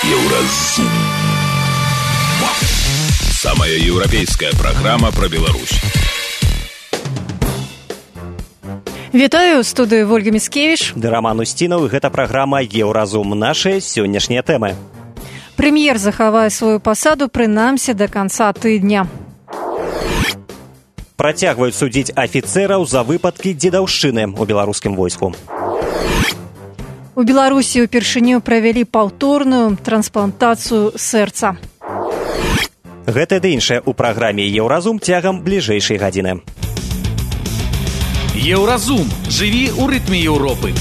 Еўразум. Самая еўрапейская праграма пра Беларусь. Вітаю, ў студыі Вольга Міцкевіч. Ды Роман Устінаў, і гэта праграма «Еўразум». Нашыя сённяшнія тэмы. Прэм'ер захавае сваю пасаду прынамсі да канца тыдня. Працягваюць судзіць афіцэраў за выпадкі дзедаўшчыны ў беларускім войску. У Беларусі ўпершыню правялі паўторную трансплантацыю сэрца. Гэта ды іншае ў праграме «Еўразум» цягам бліжэйшай гадзіны. Еўразум. Жыві ў рытме Еўропы.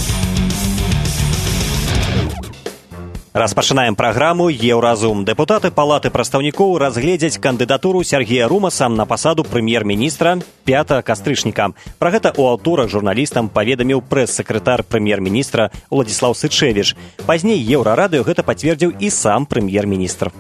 Распачынаем праграму «Еўразум». Дэпутаты Палаты прадстаўнікоў разгледзяць кандыдатуру Сергея Румаса на пасаду прэм'ер-міністра 5 кастрычніка. Пра гэта ў аўторак журналістам паведаміў прэс-сакратар прэм'ер-міністра Уладзіслаў Сычэвіч. Пазней Еўрарадыё гэта пацвердзіў і сам прэм'ер-міністр.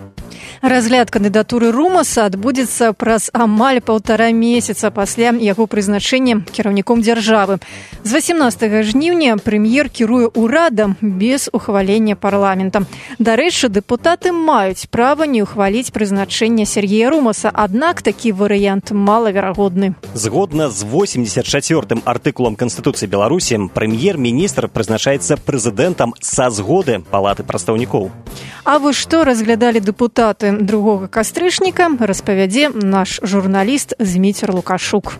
Разгляд кандыдатуры Румаса адбудзецца праз амаль 1,5 месяца пасля яго прызначэння кіраўніком дзяржавы. З 18 жніўня прэм'ер кіруе ўрадам без ухвалення парламента. Дарэчы, дэпутаты маюць права не ухваліць прызначэнне Сергея Румаса, аднак такі варыянт малаверагодны. Згодна з 84-м артыкулам Канстытуцыі Беларусі, прэм'ер-міністр прызначаецца прэзідэнтам са згоды Палаты прадстаўнікоў. А вось што разглядалі дэпутаты 2 кастрычніка, распавядзе наш журналіст Зміцер Лукашук.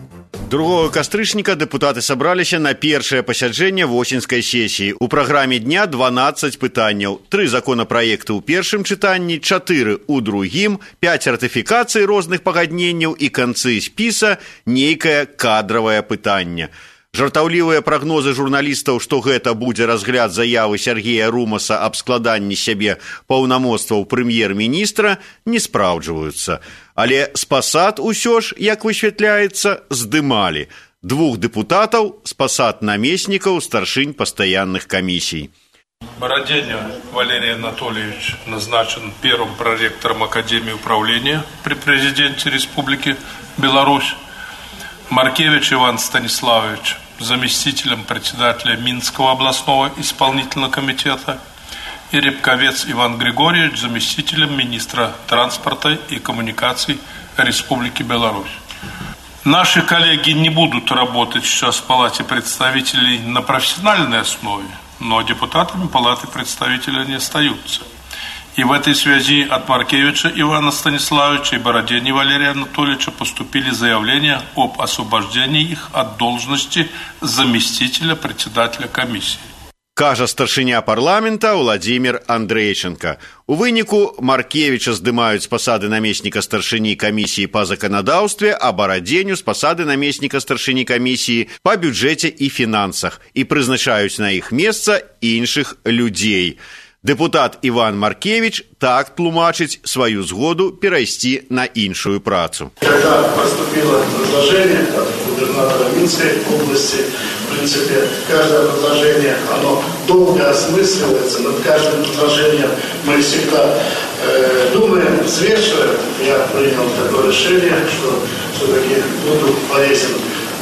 2 кастрычніка дэпутаты сабраліся на першае пасяджэнне восеньскай сесіі. У праграме дня 12 пытанняў, 3 законапраекты ў першым чытанні, 4 у другім, 5 ратыфікацый розных пагадненняў і канцы спіса нейкае кадравае пытанне. Жартаўлівыя прагнозы журналістаў, што гэта будзе разгляд заявы Сергея Румаса аб складанні сябе паўнамоцтваў прэм'ер-міністра, не спраўджваюцца. Але з пасад усё ж, як высвятляецца, здымалі 2 дэпутатаў з пасад намеснікаў старшынь пастаянных камісій. Бороденин Валерий Анатольевич назначен первым проректором Академии управления при президенте Республики Беларусь. Маркевич Иван Станиславович заместителем председателя Минского областного исполнительного комитета и Рябковец Иван Григорьевич заместителем министра транспорта и коммуникаций Республики Беларусь. Наши коллеги не будут работать сейчас в Палате представителей на профессиональной основе, но депутатами Палаты представителей они остаются. И в этой связи от Маркевича Ивана Станиславовича и Бородени Валерия Анатольевича поступили заявления об освобождении их от должности заместителя председателя комиссии. Кажа старшыня парламента Владимир Андрейченко. У выніку Маркевича здымаюць з пасады намесніка старшыні камісіі па заканадаўстве, а Бороденю з пасады намесніка старшыні камісіі па бюджэце і фінансах і прызначаюць на іх месца іншых людзей. Депутат Иван Маркевич так тлумачыць свою згоду перайсці на іншую працу. Когда поступило предложение от губернатора Минской области, в принципе, каждое предложение, оно долго осмысливается, над каждым предложением мы всегда думаем, взвешиваем. Я принял такое решение, что все-таки буду полезен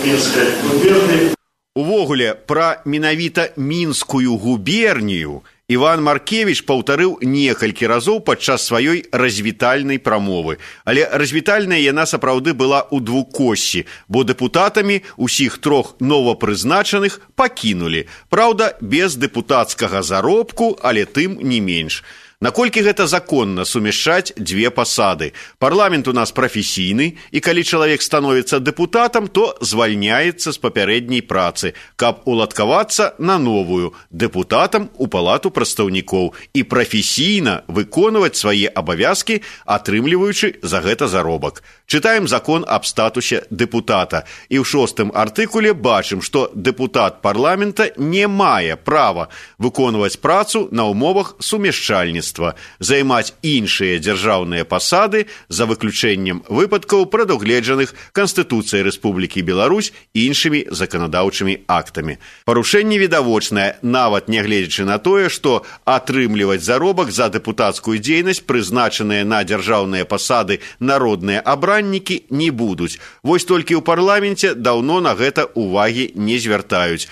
Минской губернии. Увогуле, пра менавіта Мінскую губернію Іван Маркевич паўтарыў некалькі разоў падчас сваёй развітальнай прамовы. Але развітальная яна сапраўды была ў двукоссі, бо дэпутатамі ўсіх 3 новапрызначаных пакінулі. Праўда, без дэпутацкага заробку, але тым не менш. Наколькі гэта законна сумяшчаць 2 пасады? Парламент у нас прафесійны, і калі чалавек становіцца дэпутатам, то звальняецца з папярэдняй працы, каб уладкавацца на новую дэпутатам у Палату прадстаўнікоў і прафесійна выконваць свае абавязкі, атрымліваючы за гэта заробак. Чытаем закон аб статусе дэпутата, і ў 6-м артыкуле бачым, што дэпутат парламента не мае права выконваць працу на ўмовах сумяшчальніцтва, займаць іншыя дзяржаўныя пасады за выключэннем выпадкаў, прадугледжаных Канстытуцыяй Рэспублікі Беларусь і іншымі заканадаўчымі актамі. Парушэнне відавочнае, нават нягледзячы на тое, што атрымліваць заробак за дэпутацкую дзейнасць прызначаныя на дзяржаўныя пасады народныя абраннікі не будуць. Вось толькі ў парламенце даўно на гэта увагі не звяртаюць.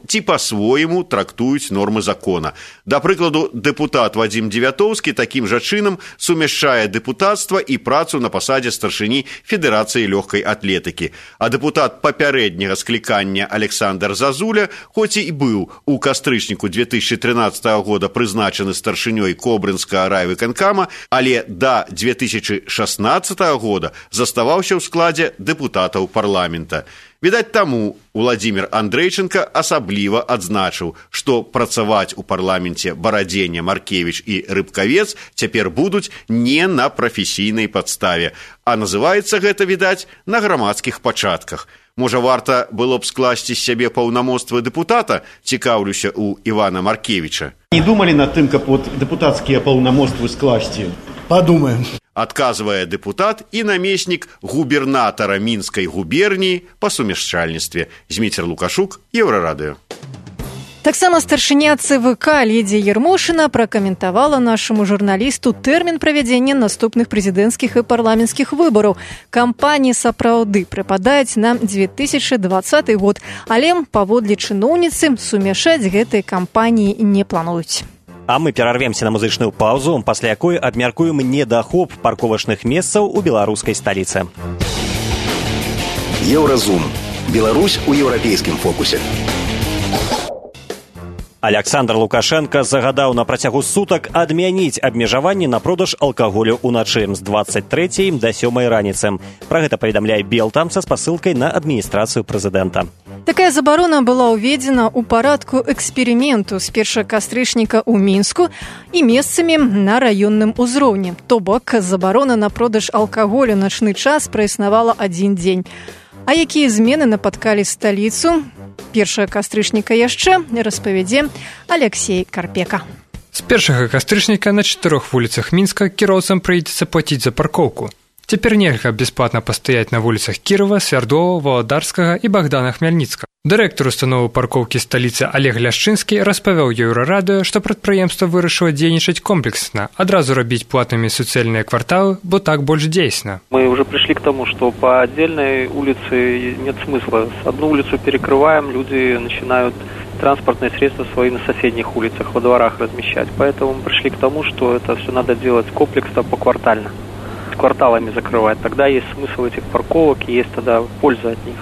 Ці па-свойму трактуюць нормы закона. Да прыкладу, дэпутат Вадзім Дзевятоўскі Лятоўскі такім жа чынам сумяшчае дэпутацтва і працу на пасадзе старшыні Федэрацыі лёгкай атлетыкі. А дэпутат папярэдняга склікання Александр Зазуля, хоць і быў у кастрычніку 2013 года прызначаны старшынёй Кобрынскага райвыканкама, але да 2016 года заставаўся ў складзе дэпутатаў парламента. Відаць, таму Владзімір Андрейченко асабліва адзначыў, што працаваць у парламенце Барадзеня, Маркевіч і Рыбкавец цяпер будуць не на прафесійнай падставе, а называецца гэта, відаць, на грамадскіх пачатках. Можа, варта было б скласці з сябе паўнамоцтвы дэпутата, цікаўлюся ў Івана Маркевіча. Не думалі над тым, каб дэпутацкія паўнамоцтвы скласці? Подумаем. Адказвае дэпутат і намеснік губернатара Мінскай губерніі па сумяшчальніцтве. Зміцер Лукашук, Еўрарадыё. Таксама старшыня ЦВК Лідзія Ермошына пракаментавала нашаму журналісту тэрмін правядзення наступных прэзідэнцкіх і парламенцкіх выбараў. Кампаніі сапраўды прыпадаюць на 2020 год, але, паводле чыноўніцы, сумяшаць гэтай кампаніі не плануюць. А мы перарвемся на музычную паузу, пасля якой абмяркуем недахоп парковачных месцаў у беларускай сталіцы. Еўразум. Беларусь у еўрапейскім фокусе. Александр Лукашенко загадаў на працягу сутак адмяніць абмежаванні на продаж алкаголю ўначы з 23 да 7 раніцы. Пра гэта паведамляе Белта са спасылкай на адміністрацыю прэзідэнта. Такая забарона была ўведзена ў парадку эксперыменту з 1 кастрычніка ў Мінску і месцамі на раённым узроўні. То бок, забарона на продаж алкаголю начны час праіснавала адзін дзень. А якія змены напаткалі сталіцу? 1 кастрычніка яшчэ распавядзе Алексей Карпека. З 1 кастрычніка на 4 вуліцах Мінска кіроўцам прыйдзецца плаціць за паркоўку. Цяпер нельга бясплатна пастаяць на вуліцах Кірова, Свярдова, Валадарскага і Богдана Хмельніцкага. Дырэктар установы паркоўкі сталіцы Олег Ляшчынскі распавёў Еўрарадыё, што прадпрыемства вырашыла дзейнічаць комплексна, адразу рабіць платнымі суцэльныя кварталы, бо так больш дзейсна. Мы уже пришли к тому, что по отдельной улице нет смысла. Одну улицу перекрываем, люди начинают транспортные средства свои на соседних улицах, во дворах размещать. Поэтому мы пришли к тому, что это все надо делать комплексно, поквартально. Кварталами закрывать. Тогда есть смысл этих парковок и есть тогда польза от них.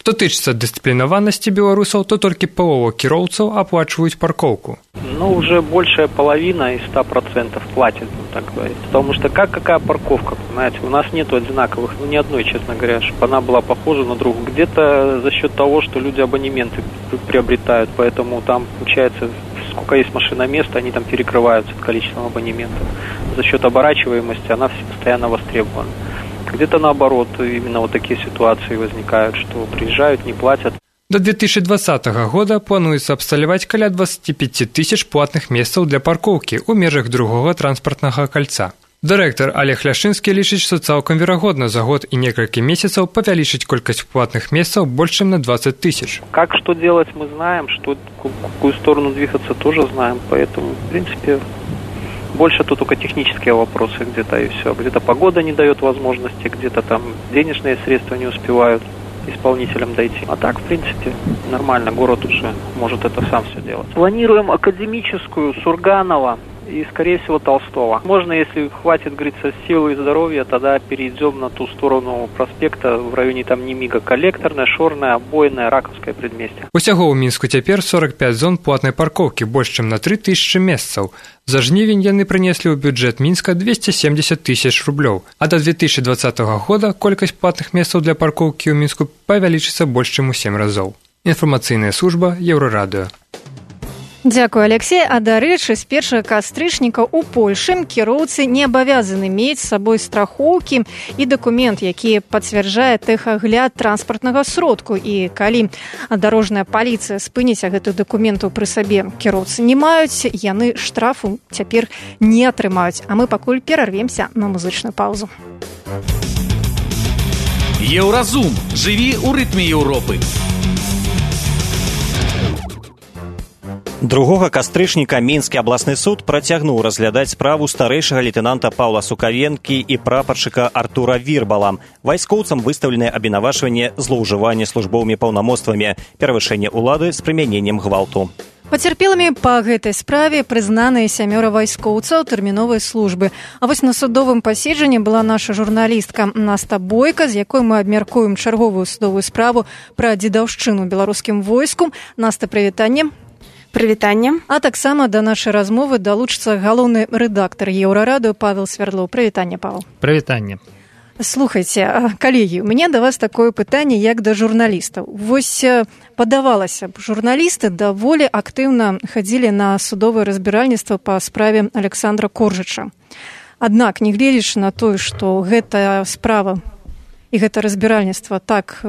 Што тычыцца дысцыплінаванасці беларусаў, то толькі палова кіроўцаў аплачваюць парковку. Ну, уже большая половина из 100% платит, так говорить. Потому что какая парковка, понимаете, у нас нету одинаковых, ни одной, честно говоря, чтобы она была похожа на другую. Где-то за счет того, что люди абонементы приобретают, поэтому там, получается, сколько есть машиномест, они там перекрываются количеством абонементов. За счет оборачиваемости она постоянно востребована. Где-то наоборот, именно вот такие ситуации возникают, что приезжают, не платят. До 2020 года плануецца абсталяваць каля 25 тысяч платных месцаў для паркоўкі ў межах другога транспартнага кальца. Дырэктар Олег Ляшчынскі лічыць, што цалкам верагодна за год і некалькі месяцаў павялічыць колькасць платных месцаў больш чым на 20 тысяч. Как что делать, мы знаем, что в какую сторону двигаться тоже знаем, поэтому, в принципе, больше тут только технические вопросы где-то и все. Где-то погода не дает возможности, где-то там денежные средства не успевают исполнителям дойти. А так, в принципе, нормально, город уже может это сам все делать. Планируем Академическую, Сурганова и, скорее всего, Толстого. Можно, если хватит, говорится, силы и здоровья, тогда перейдем на ту сторону проспекта в районе там Немига. Коллекторная, Шорная, Обойная, Раковское предместье. Усяго ў Мінску цяпер 45 зон платнай паркоўкі, больш чым на 3000 месцаў. За жнівень яны прынеслі ў бюджэт Мінска 270 тысяч рублёў, а до 2020 года колькасць платных месцаў для паркоўкі ў Мінску павялічыцца больш чым у 7 разоў. Інфармацыйная служба Еўрарадыё. Дзякуй, Алексей. А дарэчы, з 1 кастрычніка ў Польшы кіроўцы не абавязаны мець з сабой страхоўкі і дакумент, які пацвярджае тэхагляд транспартнага сродку. І калі дарожная паліцыя спыніць гэтых дакументаў пры сабе кіроўцы не маюць, яны штрафу цяпер не атрымаюць. А мы пакуль перарвемся на музычную паузу. Еўразум. Жыві ў рытме Еўропы. 2 кастрычніка Мінскі абласны суд працягнуў разглядаць справу старэйшага лейтэнанта Паўла Сукавенкі і прапаршчыка Артура Вірбала. Вайскоўцам выстаўленае абвінавачванне злоўжывання службовымі паўнамоцтвамі, перавышэнне ўлады з прымяненнем гвалту. Пацярпелымі па гэтай справе прызнаныя 7 вайскоўцаў тэрміновай службы. А вось на судовым паседжанні была наша журналістка Наста Бойка, з якой мы абмяркуем чарговую судовую справу пра дзедаўшчыну беларускім войску. Наста, прывітанне. Прывітанне. А таксама да нашай размовы далучыцца галоўны рэдактар Еўрарадыё Павел Свярлоў. Прывітанне, Павел. Прывітанне. Слухайце, калегі, у мяне да вас такое пытанне, як да журналістаў. Вось падавалася б, журналісты даволі актыўна хадзілі на судовае разбіральніцтва па справе Александра Коржыча. Аднак, нягледзячы на тое, што гэтая справа і гэта разбіральніцтва так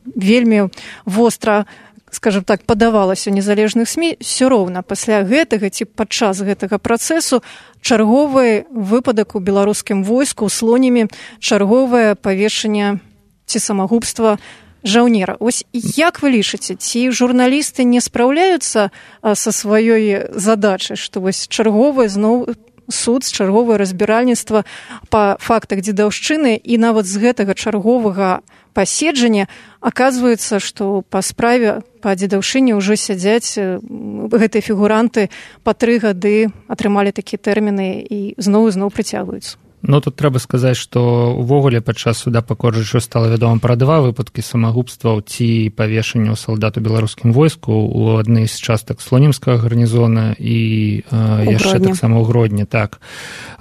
вельмі востра, скажем так, падавалася ў незалежных СМІ, все роўна пасля гэтага ці падчас гэтага працэсу чарговы выпадак у беларускім войску слонямі, чарговае павешанне ці самагубства жаўнера. Вось як вы лічыце, ці журналісты не спраўляюцца са сваёй задачай, што вось чарговае зноў суд, чарговае разбіральніцтва па фактах дзедаўшчыны і нават з гэтага чарговага паседжання аказваецца, што па справе па дзедаўшчыне ўжо сядзяць гэтыя фігуранты па 3 гады, атрымалі такія тэрміны і зноў прыцягваюцца. Ну, тут трэба сказаць, што увогуле падчас суда па Коржычу стала вядома пра 2 выпадкі самагубстваў ці павешанняў салдат у беларускім войску ў адной з частак слонімскага гарнізона і яшчэ таксама ў Гродні. Так.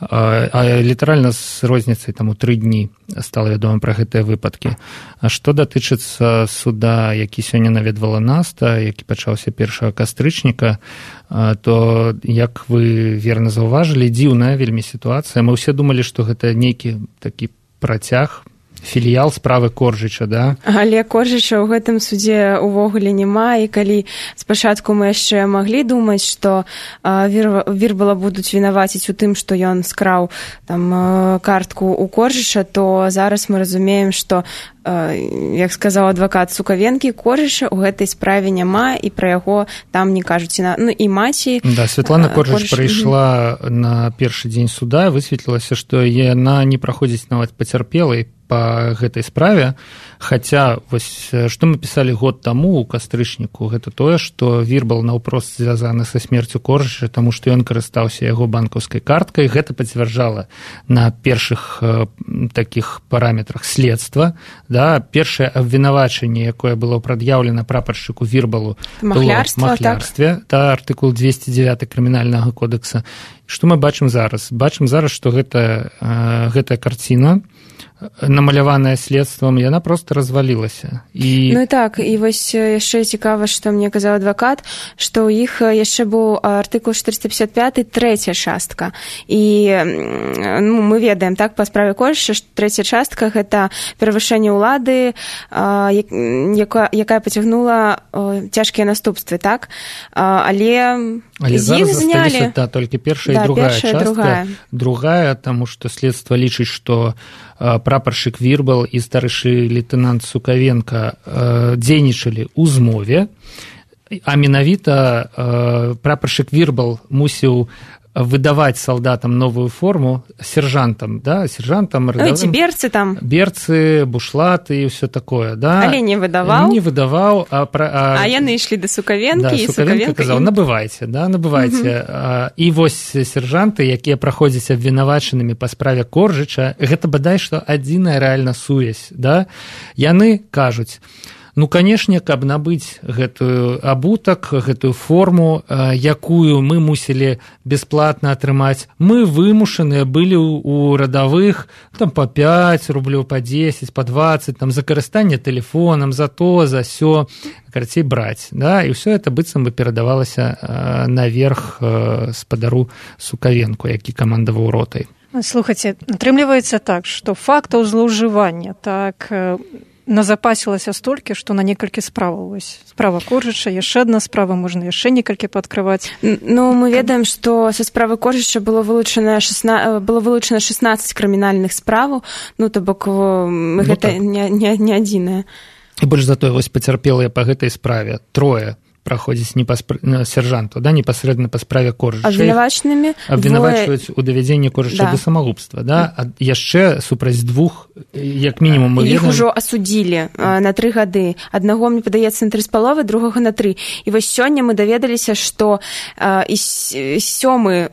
А літаральна з розніцай там у 3 дні стала вядома пра гэтыя выпадкі. А што датычыцца суда, які сёння наведвала Наста, які пачаўся 1 кастрычніка, то, як вы верна заўважылі, дзіўная вельмі сітуацыя. Мы ўсе думалі, што гэта нейкі такі працяг, філіял справы Коржыча, да? Але Коржыча ў гэтым судзе ўвогуле няма, і калі спачатку мы яшчэ маглі думаць, што Вірбала будуць вінаваціць у тым, што ён скраў там картку ў Коржыча, то зараз мы разумеем, што, як сказаў адвакат Сукавенкі, Коржыча ў гэтай справе няма, і пра яго там не кажуць. Ну і маці... Да, Святлана Коржыч прыйшла на першы дзень суда, высветлілася, што яна не праходзіць нават пацярпелай па гэтай справе, хаця вось што мы пісалі год таму ў кастрычніку, гэта тое, што Вірбал наўпрост звязаны са смерцю Коржыча, таму што ён карыстаўся яго банкаўскай карткай. Гэта пацвярджала на першых такіх параметрах следства. Да, першае абвінавачанне, якое было прад'яўлена прапаршчыку Вірбалу, было махлярстве, да, артыкул 209 крымінальнага кодекса. Што мы бачым зараз? Бачым зараз, што гэтая карціна, намаляваная следствам, яна проста развалілася. Ну і так, і вось яшчэ цікава, што мне казаў адвакат, што ў іх яшчэ быў артыкул 455, 3-я частка. І мы ведаем, так, па справе Коржыча, што 3-я частка – гэта перавышэнне ўлады, якая пацягнула цяжкія наступствы, так? Але зараз засталіся, да, толькі першая і другая частка. Другая, таму што следства лічыць, што прапаршчык Вірбал і старэйшы лейтэнант Сукавенка дзейнічалі ў змове, а менавіта прапаршчык Вірбал мусіў выдаваць салдатам новую форму, сержантам, да, сержантам, эти берцы там. Берцы, бушлаты і ўсё такое, да. Але не выдаваў. Не выдаваў, а яны ішлі да Сукавенкі, да, і Сукавенка казаў, набывайце, да, набывайце. І вось сержанты, якія праходзяць абвінавачанымі па справе Коржыча, гэта бадай што адзіная рэальна сувязь, да. Яны кажуць: ну, канешне, каб набыць гэтую абутак, гэтую форму, якую мы мусілі бясплатна атрымаць, мы вымушаныя былі ў радавых там па 5 рублёў, па 10, па 20, там за карыстанне тэлефонам, за то, за сё, карацей, браць, да, і ўсё это быццам бы перадавалася наверх спадару Сукавенку, які камандаваў ротай. Слухайце, атрымліваецца так, што фактаў злоўжывання так назапасілася столькі, што на некалькі справаў. Справа Коржыча, яшчэ адна справа, можна яшчэ некалькі пааткрываць. Ну, мы ведаем, што са справы Коржыча было вылучана 16 крымінальных справаў, ну, то бок гэта не адзінае. І больш за тое, вось пацярпелыя па гэтай справе 3 праходзіць сяржанту, да, непасрэдна па справе Коржыча. Абвінавачваюць у давядзенні Коржыча да самагубства, да, а яшчэ супраць двух, як мінімум, мы ведаем. Іх ужо асудзілі на 3 гады. Аднаго, мне падаецца, на 3,5, другога на 3. І вось сёння мы даведаліся, што і 7-мы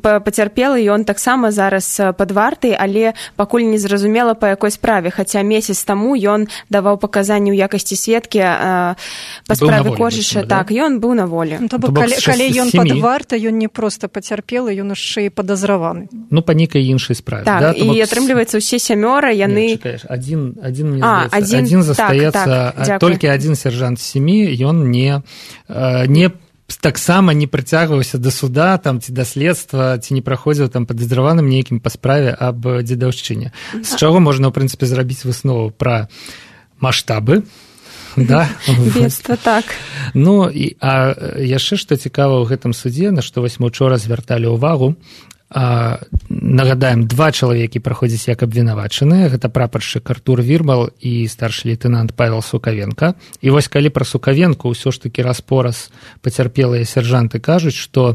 пацярпелы, ён таксама зараз пад вартай, але пакуль не зразумела, па якой справе, хаця месяц таму ён даваў паказанні ў якасці сведкі па справе Коржыча. Так, ён быў на волі. Калі ён пад вартай, ён не проста пацярпелы, ён яшчэ і падазраваны. Ну, па нейкай іншай справе. Так, і атрымліваецца, усе 7 яны... Адзін застаецца, толькі адзін сяржант з 7, ён не таксама не прыцягваўся да суда там, ці да следства, ці не праходзіў там падазраваным нейкім па справе аб дзедаўшчыне. З чаго можна, ў прынцыпе, зрабіць выснову пра маштабы, да? Бедства, так. Ну, а яшчэ, што цікава ў гэтым судзе, на што вось мы учора звярталі ўвагу, нагадаем, 2 чалавекі праходзяць як абвінавачаныя, гэта прапаршчык Артур Вірбал і старшы лейтэнант Павел Сукавенко. І вось калі пра Сукавенко ўсё ж такі раз-пораз пацярпелыя сяржанты кажуць, што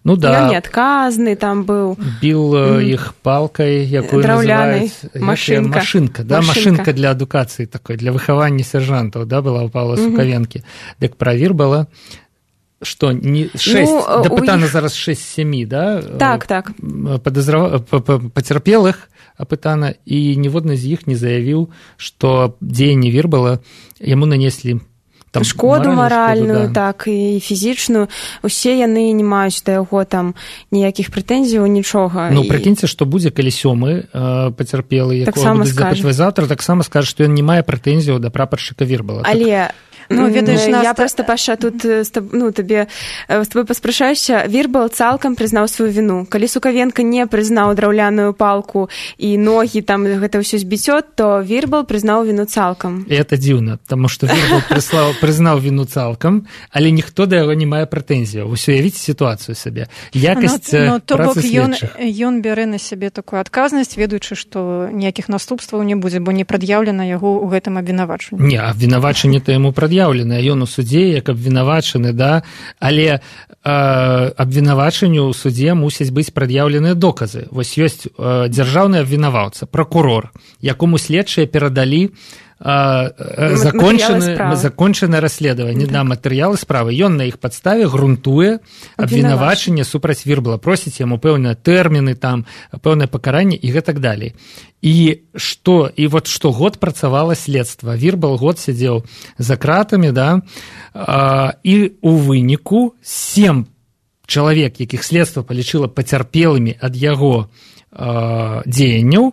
ну да, ён неадказны там быў. Біл іх палкай, якую называюць машынка, да, машынка для адукацыі такой, для выхавання сяржантаў, да, была ў Павла Сукавенкі. Дык пра Вірбала што не 6, дапытана зараз 6-7, да? Так. Пацярпелых апытана, і ніводны з іх не заявіў, што дзеянні Вірбала яму нанеслі там шкоду маральную, да. Так, і фізічную. Усе яны не маюць да яго там ніякіх прэтэнзіяў, нічога. Ну, прыкіньце, што будзе, калі 7-мы пацярпелы, якога будуць запытваць заўтра, таксама скажа, што ён не мае прэтэнзіяў да прапаршчыка Вірбала. Але... Ну, ведаеш, я просто, Паша, тут з табой паспрашаюся. Вірбал цалкам прызнаў сваю віну. Калі Сукавенко не прызнаў драўляную палку і ногі, там гэта ўсё збіцё, то Вірбал прызнаў віну цалкам. І это дзіўна, таму што Вірбал прызнаў віну цалкам, але ніхто да яго не мае прэтэнзіяў. Вось уявіце сітуацыю сабе. Якасць працы следчых. Ён бярэ на сябе такую адказнасць, ведаючы, што ніякіх наступстваў не будзе, бо не прад'яўлена яго ў гэтым абвінавачанні. Не, абвінавачанне-то яму прад'яўлена. Ён у судзе як абвінавачаны, да, але абвінавачанню ў судзе мусяць быць прад'яўленыя доказы. Вось ёсць дзяржаўны абвінаваўца, пракурор, якому следчыя перадалі закончанае расследаванне, да, матэрыялы справы. Ён на іх падставе грунтуе абвінавачанне супраць Вірбала, просіць яму пэўныя тэрміны, там пэўнае пакаранне і гэтак далей. І вот штогод працавала следства. Вірбал год сядзеў за кратамі, да, і у выніку 7 чалавек, якіх следства палічыла пацярпелымі ад яго дзеянняў,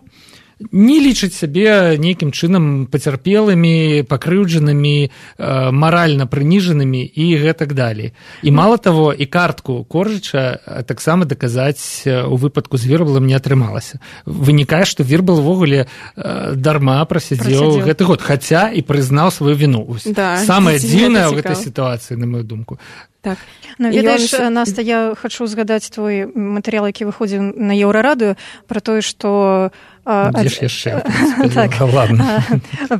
не лічаць сябе нейкім чынам пацярпелымі, пакрыўджанымі, маральна прыніжанымі і гэтак далей. І мала таго, і картку Коржыча таксама даказаць у выпадку з Вірбалам не атрымалася. Вынікае, што Вірбал увогуле дарма прасядзеў гэты год, хаця і прызнаў сваю віну. Да, самае дзіўнае ў гэтай сітуацыі, на мою думку. Так. Ну, ведаеш, Наста, я хачу згадаць твой матэрыял, які выходзіў на Еўрарадыё, пра тое, што... Дзе ж яшчэ? Так,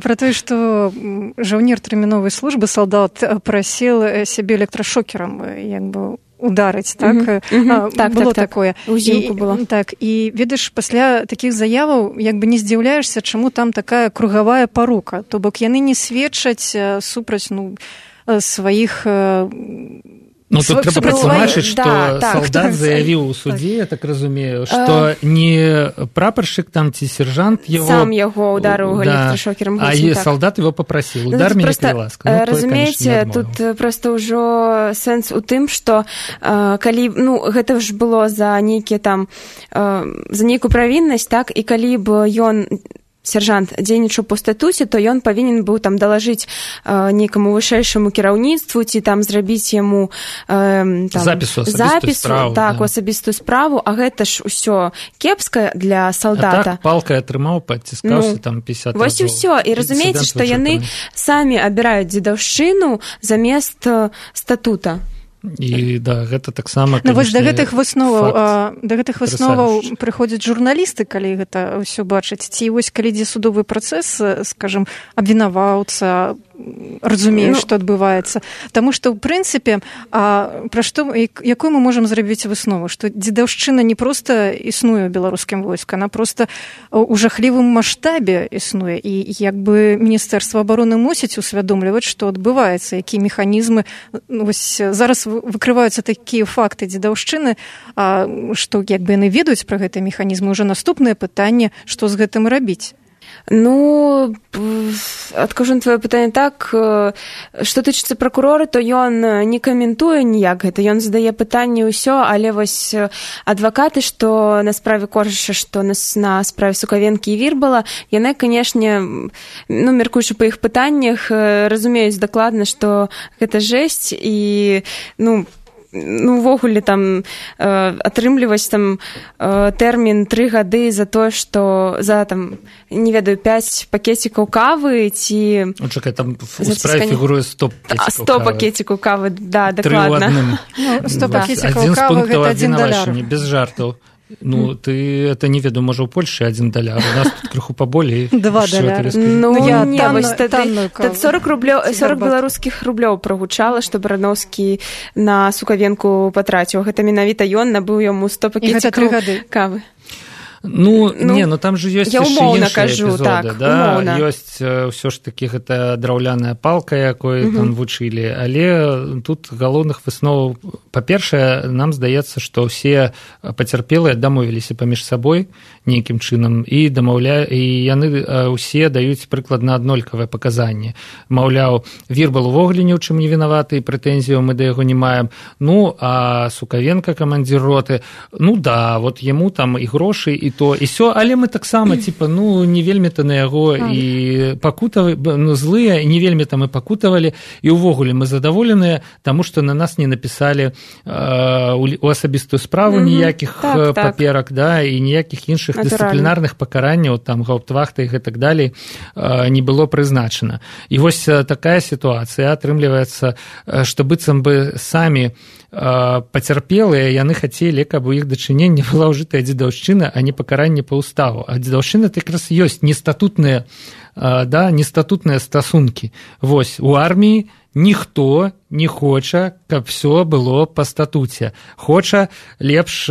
пра тое, што жаўнер тэрміновай службы, салдат, прасіл сябе электрашокерам, як бы, ударыць, так? Было такое. Узімку было. Так, і, ведаеш, пасля такіх заяваў, як бы не здзіўляешся, чаму там такая кругавая парука. То бок яны не сведчаць супраць, сваіх... Ну, тут трэба патлумачыць, што салдат заявіў у судзе, я так разумею, што не прапаршчык там ці сержант его... Сам яго ударыў электрашокерам. А салдат его папрасіў. Удар мяне, калі ласка. Разумееце, тут проста ўжо сэнс у тым, што калі... Ну, гэта ж было за нейкія там... За нейкую правіннасць, так? І калі б ён... сержант дзейнічаў по статуце, то ён павінен быў там далажыць нейкаму вышэйшаму кіраўніцтву ці там зрабіць яму запіс у асабістую справу, а гэта ж усё кепска для салдата. А так палкай атрымаў, падціскаўся там 50 разоў. Вось і ўсё. І разумееце, што яны самі абіраюць дзедаўшчыну замест статута. І да, гэта таксама, канечне, вось да гэтых высноваў прыходзяць журналісты, калі гэта ўсё бачаць. Ці вось калі ідзе судовы працэс, скажам, абвінаваўца разумее, што адбываецца. Таму што, ў прынцыпе, якую мы можам зрабіць выснову? Што дзедаўшчына не проста існуе ў беларускім войску, она проста ў жахлівым маштабе існуе. І як бы Міністэрства абароны мусіць усвядомліваць, што адбываецца, якія механізмы. Вось зараз выкрываюцца такія факты дзедаўшчыны, што як бы яны ведаюць пра гэтыя механізмы. Уже наступнае пытанне, што з гэтым рабіць. Ну, адкажу на твоё пытанне так, што тычыцца пракурора, то ён не каментуе ніяк гэта, ён задае пытанне ўсё, але вось адвакаты, што на справе Коржыша, што на справе Сукавенкі і Вірбала, яны, канешне, ну, меркуючы па іх пытаннях, разумеюць дакладна, што гэта жэсць і, ну, увогуле там атрымліваць там тэрмін 3 гады за тое, што за там, не ведаю, 5 пакетикаў кавы ці... Чакай, там у справе фігуруе 100 пакетикаў кавы, да, дакладна. 100 пакетикаў кавы – гэта $1. Без жартаў. Ну, ты это не веду, можа, у Польшы $1. У нас тут крыху поболей. $2. Ну, не, вось тады 40 беларускіх рублёў прагучала, што Барановскі на Сукавенку патраціў. Гэта менавіта ён набыў яму 100 пакетикаў кавы. Ну, не, ну там же ёсць яшчэ іншыя эпізоды, так, да? Ёсць ўсё ж такі гэта драўляная палка, якой там вучылі, але тут галоўных высноваў, па-першае, нам здаецца, што ўсе пацярпелыя дамовіліся паміж сабой нейкім чынам і яны ўсе даюць прыкладна аднолькавыя паказанні. Маўляў, Вірбал увогуле ні ў чым не вінаваты, і прэтэнзіяў мы да яго не маем. Ну, а Сукавенка, камандзір роты, ну да, вот яму там і грошы, і то, і сё, але мы таксама, типа, ну, не вельмі-то на яго і пакутавалі, ну, злыя, не вельмі там і пакутавалі, і ўвогуле мы задаволеныя, таму што на нас не напісалі у асабістую справу ніякіх паперак, да, і ніякіх іншых дысцыплінарных пакаранняў, там, гаўптвахта і гэтак далей не было прызначана. І вось такая сітуацыя атрымліваецца, што быццам бы самі пацярпелыя, яны хацелі, каб у іх дачыненні была ўжытая дзедаўшчына, а не пакаранне па ўставу. А дзедаўшчына так раз ёсць нестатутныя стасункі. Вось, у арміі ніхто не хоча, каб все было па статуце. Хоча лепш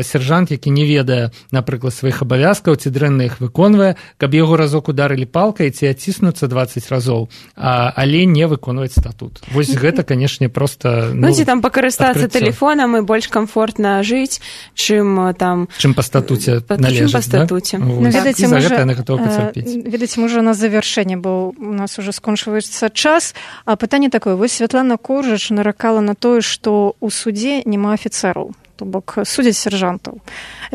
сержант, які не ведае, напрыклад, сваіх абавязкаў, ці дрэнна іх выконвае, каб яго разок ударылі палкай, ці адціснуцца 20 разоў, але не выконваць статут. Вось гэта, канешне, проста... Ну, ці там пакарыстацца тэлефонам і больш камфортна жыць, чым там... Чым па статуце належыць, да? Чым па статуце. Ну, ведаеце, за гэта яны гатовы пацярпець. Ведаеце, можа, на завяршэнне, бо у нас уже скончваецца час. А пытанне такое. Вось Святлана Коржыч наракала на тое, што ў судзе няма афіцэраў, то бок судзяць сержантаў.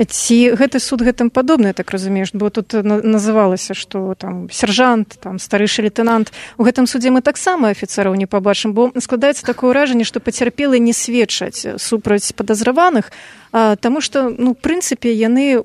Ці гэты суд гэтым падобны, так разумееш, бо тут называлася, што там сержант, там старэйшы лейтэнант. У гэтым судзе мы таксама афіцэраў не пабачым, бо складаецца такое ўражанне, што пацярпелыя не сведчаць супраць падазраваных, таму што, ну, в прынцыпе, яны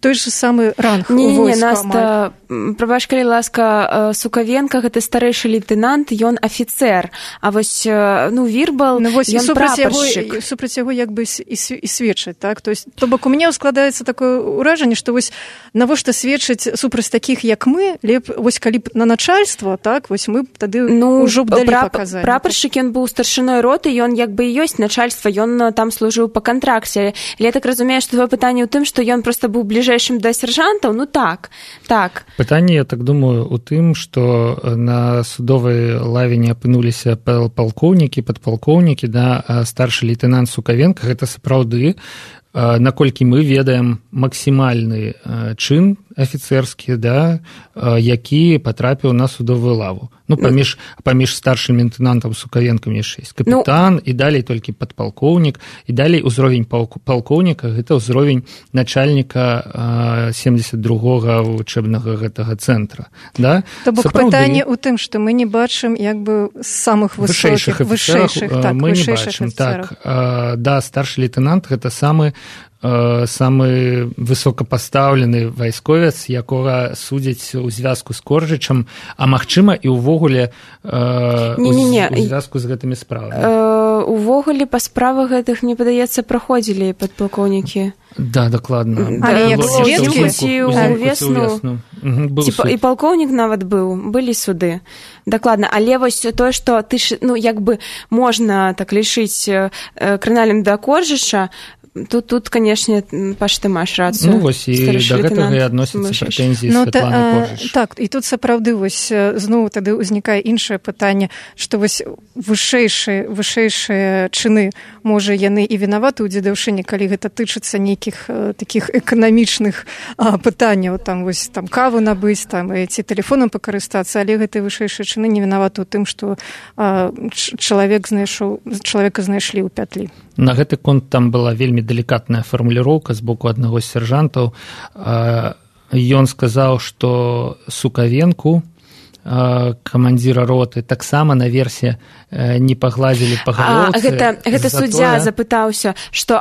той же самы ранг у войску. Наста, прабач, калі ласка, Сукавенка, гэта старэйшы лейтэнант, ён афіцэр, а вось, ну, Вірбал, ён прапаршчык. Супраць яго як бы і сведчаць, так? То бок у мяне складаецца такое ўражанне, што вось навошта сведчыць супраць такіх, як мы, вось калі б на начальства, так, вось мы тады ўжо б далі паказалі. Прапаршчык, ён быў старшыной роты, ён як бы і ёсць начальства, ён там служыў па кантракце. Але я так разумею, што твоё пытанне ў тым, што ён проста быў бліжэйшым да сержантаў, ну так. Пытанне, я так думаю, у тым, што на судовай лаве не апынуліся палкоўнікі, падпалкоўнікі, да, а старшы лейтэнант Сукавенка, гэта сапраўды, наколькі мы ведаем максімальны чын афіцэрскі, да, які патрапіў на судовую лаву. Ну, паміж старшым лейтэнантам Сукавенкам яшчэ ёсць капітан, і далей толькі падпалкоўнік, і далей узровень палкоўніка, гэта ўзровень начальніка 72-го вучэбнага гэтага цэнтра. Да? То бок пытанне ў тым, што мы не бачым як бы самых высокіх, вышэйшых мы не бачым. Так, да, старшы лейтэнант гэта самы самы высокапастаўлены вайсковец, якога судзяць у звязку з Коржычам, а магчыма і ўвогуле у звязку з гэтымі справамі. Увогуле па справах гэтых, мне падаецца, праходзілі падпалкоўнікі. Да, дакладна. Але як сведкі ўвесну. І палкоўнік нават былі суды. Дакладна, але вось тое, што ты як бы можна так лічыць крынальным да Коржыча, Тут, конечно, Паш, ты маеш рацыю. Вось, і да гэтага і адносяцца прэтэнзіі Святланы Коржыч. Так, і тут сапраўды вось зноў тады ўзнікае іншае пытанне, што вось вышэйшыя чыны, можа, яны і вінаваты ў дзедаўшыне, калі гэта тычыцца нейкіх такіх эканамічных пытанняў, там вось там каву набыць, там ці тэлефонам пакарыстацца, але гэтыя вышэйшыя чыны не вінаваты ў тым, што чалавека знайшлі ў пятлі. На гэты конт там была вельмі далікатная фармуліроўка з боку аднаго з сяржантаў. Ён сказаў, што Сукавенку, камандзіра роты, таксама наверсе не пагладзілі па галоўцы. Гэта суддзя запытаўся, што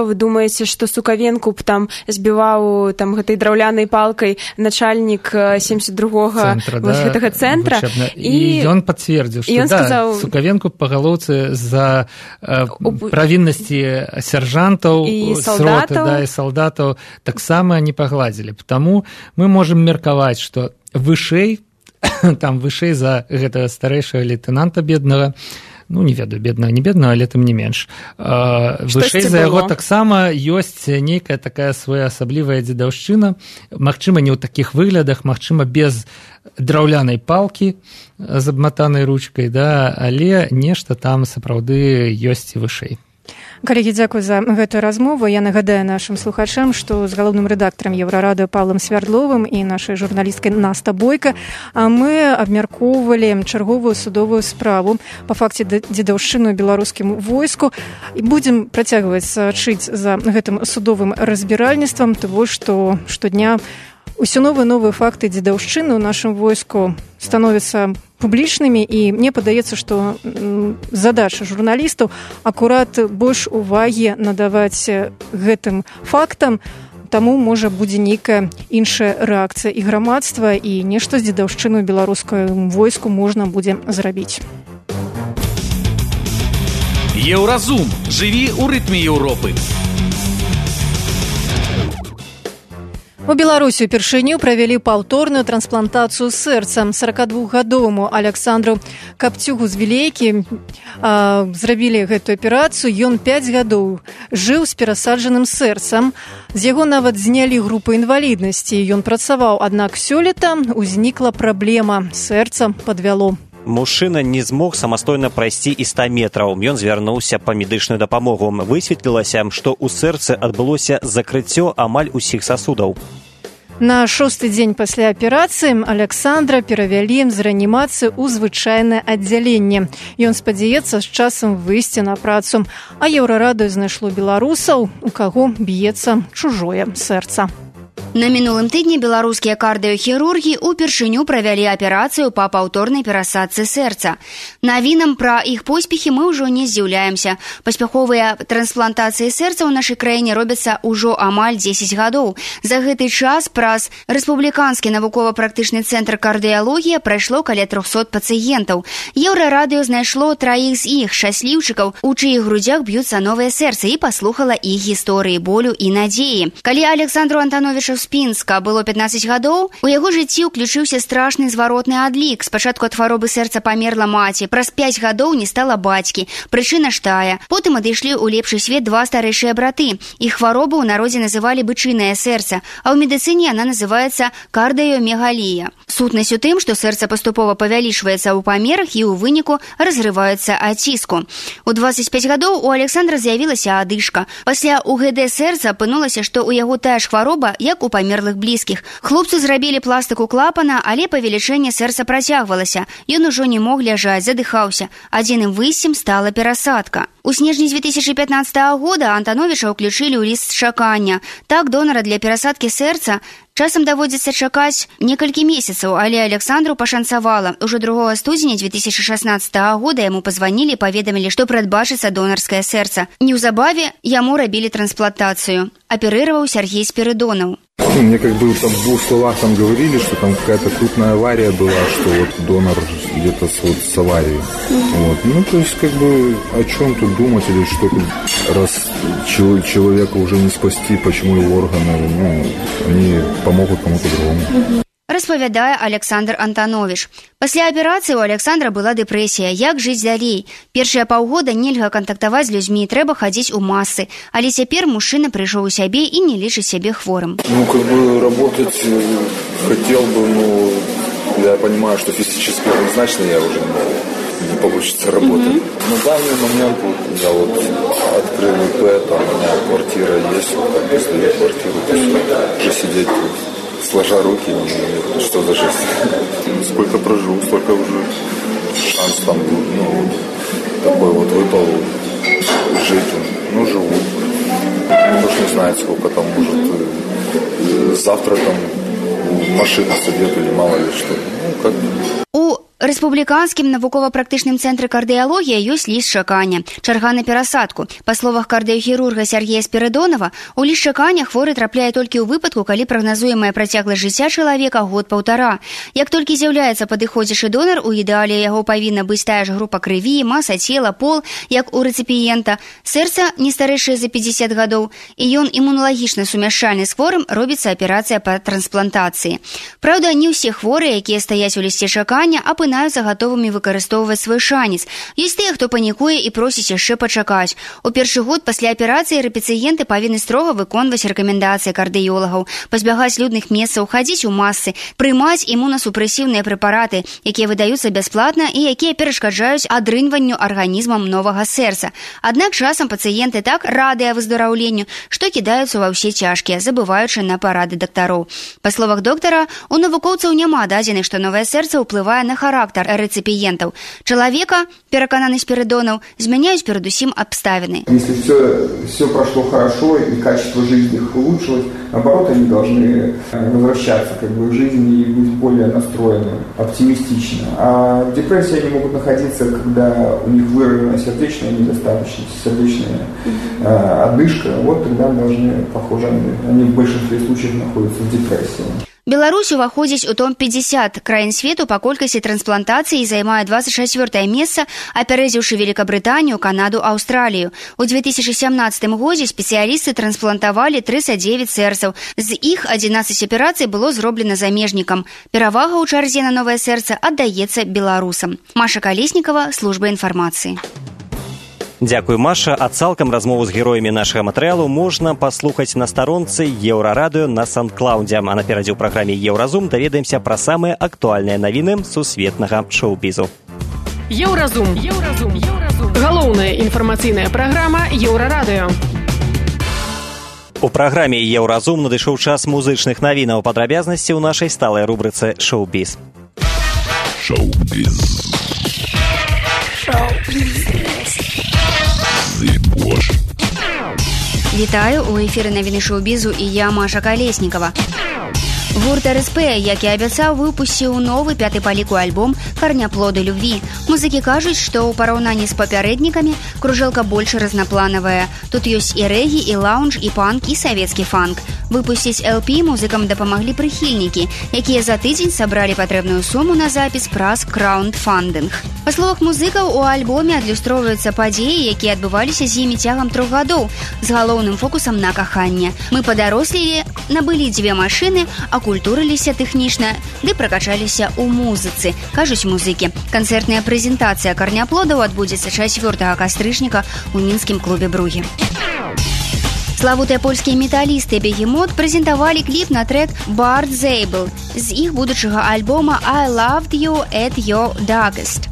вы думаеце, што Сукавенку б там збіваў там гэтай драўлянай палкай начальнік 72-го гэтага цэнтра. І ён пацвердзіў, што Сукавенку па галоўцы за правіннасці сяржантаў з роты і салдатаў таксама не пагладзілі. Таму мы можам меркаваць, што вышэй за гэтага старэйшага лейтэнанта беднага, не ведаю, беднага, не беднага, але тым не менш. Вышэй за яго таксама ёсць нейкая такая своеасаблівая дзедаўшчына, магчыма, не ў такіх выглядах, магчыма, без драўлянай палкі з абматанай ручкай, але нешта там сапраўды ёсць і вышэй. Калегі, дзякуй за гэтую размову. Я нагадаю нашым слухачам, што з галоўным рэдактарам Еўрарадыё Павлам Свярдловым і нашай журналісткай Наста Бойка мы абмяркоўвалі чарговую судовую справу па факце дзедаўшчыны ў беларускім войску. І будзем працягваць сачыць за гэтым судовым разбіральніцтвам, того, што штодня ўсё новыя факты дзедаўшчыны ў нашым войску становяцца публічнымі, і мне падаецца, што задача журналістаў акурат больш увагі надаваць гэтым фактам, таму, можа, будзе нейкая іншая рэакцыя і грамадства, і нешта з дзедаўшчыны ў беларускім войску можна будзе зрабіць. Еўразум. Жыві ў рытме Еўропы. У Беларусі упершыню правялі паўторную трансплантацыю сэрца. 42гадоваму Александру Капцюгу з Вілейкі зрабілі гэтую аперацыю. Ён 5 гадоў жыў з перасаджаным сэрцам. З яго нават знялі групу інваліднасці. Ён працаваў, аднак сёлета ўзнікла праблема. Сэрца падвяло. Мужчына не змог самастойна прайсці і 100 метраў. Ён звярнуўся па медычную дапамогу. Высветлілася, што ў сэрцы адбылося закрыццё амаль усіх сасудаў. На 6-й дзень пасля аперацыі Александра перавялі з рэанімацыі ў звычайнае аддзяленне. Ён спадзяецца з часам выйсці на працу. А Еўрарадыё знайшло беларусаў, у каго б'ецца чужое сэрца. На мінулым тыдні беларускія кардыёхірургі упершыню правялі аперацыю па паўторнай перасадцы сэрца. Навінам пра іх поспехі мы ўжо не здзіўляемся. Паспяховыя трансплантацыі сэрца ў нашай краіне робяцца ўжо амаль 10 гадоў. За гэты час праз Рэспубліканскі навукова-практычны цэнтр кардыялогія прайшло каля 300 пацыентаў. Еўрарадыё знайшло 3 з іх, шчасліўчыкаў, у чыіх грудзях б'юцца новыя сэрцы, і паслухала іх гісторыі болю і надзеі. Калі Александру Антановичу Спінска было 15 гадоў, у яго жыцці ўключыўся страшны зваротны адлік. Спачатку ад хваробы сэрца памерла маці, праз 5 гадоў не стала бацькі. Прычына ж тая. Потым адышлі ў лепшы свет 2 старэйшыя браты. Іх хваробу ў народзе называлі бычынае сэрца, а ў медыцыне яна называецца кардыёмегалія. Сутнасць у тым, што сэрца паступова павялічваецца ў памерах і ў выніку разрываецца ад ціску. У 25 гадоў у Александра з'явілася адышка. Пасля УГД сэрца апынулася, што ў яго тая ж хвароба, як у у памерлых блізкіх. Хлопцу зрабілі пластыку клапана, але павелічэнне сэрца працягвалася. Ён ужо не мог ляжаць, задыхаўся. Адзіным выйсцем стала перасадка. У снежні 2015 года Антановича ўключылі ў ліст чакання. Так донара для перасадкі сэрца часам даводзіцца чакаць некалькі месяцаў, але Александру пашанцавала. Ужо 2 студзеня 2016 года яму пазванілі і паведамілі, што прадбачыцца донарскае сэрца. Неўзабаве яму рабілі трансплантацыю. Аперировал Сергей Спиридонов. Мне как бы там в 2 словах там говорили, что там какая-то крупная авария была, что вот донор где-то с аварией. Вот. Ну, то есть, как бы, о чем тут думать или что тут, раз человека уже не спасти, почему его органы, они помогут кому-то другому. Распавядае Александр Антанович. Пасля аперацыі у Александра была дэпрэсія. Як жыць далей? Першыя паўгода нельга кантактаваць з людзьмі, трэба хадзіць у масы. Але цяпер мужчына прыйшоў у сябе і не лічыць сябе хворым. Ну, как бы, работать хотел бы, но я понимаю, что физически однозначно я уже не получится работать. На данный момент я вот открыл ИП, там у меня квартира есть, вот, если квартиру, то уже сидеть сложа руки, что за жизнь. Сколько прожил, столько уже шанс там, такой вот выпал жить. Ну, живу. Кто ж не знает, сколько там, может, завтра там машина сойдет или мало ли что. Ну, как... У Рэспубліканскім навукова-практычным цэнтры кардыялогія ёсць ліст чакання, чарга на перасадку. Па словах кардыёхірурга Сергея Спиридонова, у ліст чакання хворы трапляе толькі ў выпадку, калі прагназуемая працягласць жыцця чалавека год-паўтара. Як толькі з'яўляецца падыходзячы донар, у ідэале яго павінна быць тая ж група крыві, маса цела, пол, як у рэцыпіента, сэрца не старэйшае за 50 гадоў, і ён імуналагічна сумяшчальны з хворым, робіцца аперацыя па трансплантацыі. Праўда, не ўсе хворыя, якія стаяць у лісце чакання, апынаюцца гатовымі выкарыстоўваць свой шанец. Ёсць тыя, хто панікуе і просіць яшчэ пачакаць. У першы год пасля аперацыі рэцыпіенты павінны строга выконваць рэкамендацыі кардыёлагаў, пазбягаць людных месцаў, хадзіць у масы, прымаць імунасупрэсіўныя прэпараты, якія выдаюцца бясплатна і якія перашкаджаюць адрынванню арганізмам новага сэрца. Аднак часам пацыенты так радыя выздараўленню, што кідаюцца ва ўсе цяжкія, забываючы на парады дактароў. Па словах доктара, у навукоўцаў няма дадзеных, што новае сэрца ўплывае на характар реципиентов. Человека, перекананный Спиридонов, изменяют передусім обставины. Если все прошло хорошо и качество жизни их улучшилось, наоборот, они должны возвращаться в жизнь и быть более настроенными, оптимистично. А депрессии они могут находиться, когда у них выражена сердечная недостаточность, сердечная одышка. Вот тогда должны, похоже, они в большинстве случаев находятся в депрессии. Беларусь уваходзіць у топ-50 краін свету па колькасці трансплантацый і займае 24-е месца, апярэдзіўшы Великабрытанію, Канаду, Аўстралію. У 2017 годзе спецыялісты трансплантавалі 39 сэрцаў. З іх 11 аперацый было зроблена замежнікам. Перавага ў чарзе на новае сэрца аддаецца беларусам. Маша Калеснікава, служба інфармацыі. Дзякуй, Маша. А цалкам размову з героямі нашага матэрыялу можна паслухаць на старонцы Еўрарадыё на Сан-Клаўдзе. А наперадзе ў праграме Еўразум даведаемся пра самыя актуальныя навіны сусветнага шоу-бізу. Еўразум. Галоўная інфармацыйная праграма Еўрарадыё. У праграме Еўразум надышоў час музычных навінаў. Падрабязнасці ў нашай сталай рубрыцы «Шоу-біз». Шоу-біз. Вітаю, у эфіры навіны шоу-бізу і я, Маша Калеснікава. Гурт РСП, як і абяцаў, выпусціў новы 5-й па ліку альбом «Карняплоды любві». Музыкі кажуць, што ў параўнанні з папярэднікамі кружэлка больш разнапланавая. Тут ёсць і рэгі, і лаунж, і панк, і савецкі фанк. Выпусціць LP музыкам дапамаглі прыхільнікі, якія за тыдзень сабралі патрэбную суму на запіс праз краундфандынг. Па словах музыкаў, у альбоме адлюстроўваюцца падзеі, якія адбываліся з імі цягам 3 гадоў, з галоўным фокусам на каханне. Мы падарослелі, набылі 2 машыны, акультурыліся тэхнічна, ды пракачаліся ў музыцы, кажуць музыкі. Канцэртная прэзентацыя «Карняплодаў» адбудзецца 4 кастрычніка ў мінскім клубе «Бругі». Славутыя польскія металісты «Бегемот» прэзентавалі кліп на трэк «Bard Zabel» з іх будучага альбома «I Loved You at Your Darkest».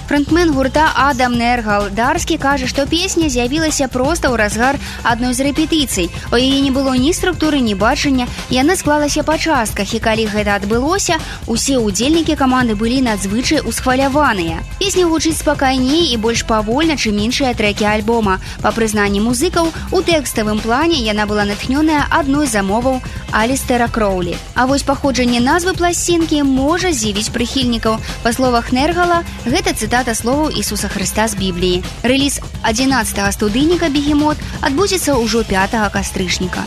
Фронтмен гурта Адам Нергал Дарскі кажа, што песня з'явілася проста ў разгар адной з рэпетыцый. У яе не было ні структуры, ні бачання, яна склалася па частках, і калі гэта адбылося, усе ўдзельнікі каманды былі надзвычай усхваляваныя. Песня гучыць спакайней і больш павольна, чым іншыя трэкі альбома. Па прызнанні музыкаў, у тэкставым плане яна была натхнёная адной з замоваў Алістера Кроулі. А вось паходжанне назвы пласцінкі можа здзівіць прыхільнікаў. Па словах Нергала, гэта цытата словаў Ісуса Хрыста з Бібліі. Рэліз 11-га студыйніка «Бегемот» адбудзецца ўжо 5 кастрычніка.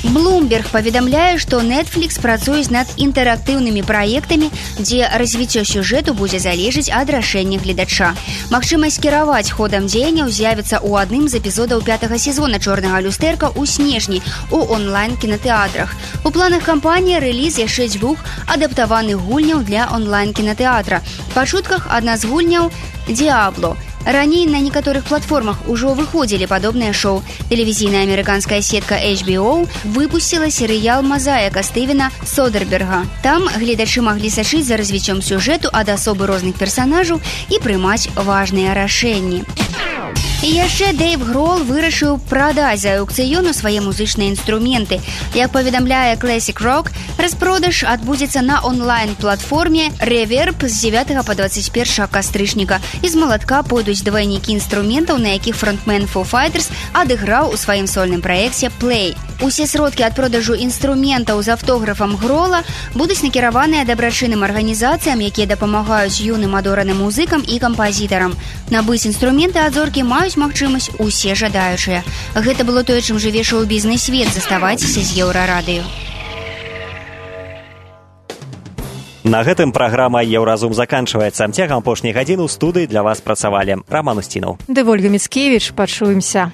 Bloomberg паведамляе, што Netflix працуюць над інтэрактыўнымі праектамі, дзе развіццё сюжэту будзе залежыць ад рашэння гледача. Магчымасць кіраваць ходам дзеянняў з'явіцца ў адным з эпізодаў 5-га сезона «Чорнага люстэрка» ў снежні ў онлайн-кінатэатрах. У планах кампаніі рэліз яшчэ 2 адаптаваных гульняў для онлайн-кінатэатра. Па чутках, адна з гульняў «Диабло». Раней на некаторых платформах ужо выходзілі падобныя шоу. Тэлевізійная амерыканская сетка HBO выпусціла серыял «Мазаіка» Стывена Содерберга. Там гледачы маглі сачыць за развіццём сюжэту ад асобы розных персанажаў і прымаць важныя рашэнні. І яшчэ Дэйв Грол вырашыў прадаць за аукцыёну свае музычныя інструменты. Як паведамляе Classic Rock, распродаж адбудзецца на онлайн-платформе Reverb з 9 па 21 кастрычніка. І з малатка пойдуць двайнікі інструментаў, на якіх фронтмен Foo Fighters адыграў у сваім сольным праекце Play. Усе сродкі ад продажу інструментаў з аўтографам Грола будуць накіраваныя дабрачынным арганізацыям, якія дапамагаюць юным адораным музыкам і кампазітарам. Набыць інструменты ад зоркі маюць магчымасць усе жадаючыя. Гэта было тое, чым жыве шоу-бізнес-свет. Заставайцеся з Еўрарадыё. На гэтым праграма «Еўразум» заканчваецца. Цягам апошняй гадзіны ў студыі для вас працавалі Раман Усцінаў. Ды Вольга Міцкевіч. Пачуемся.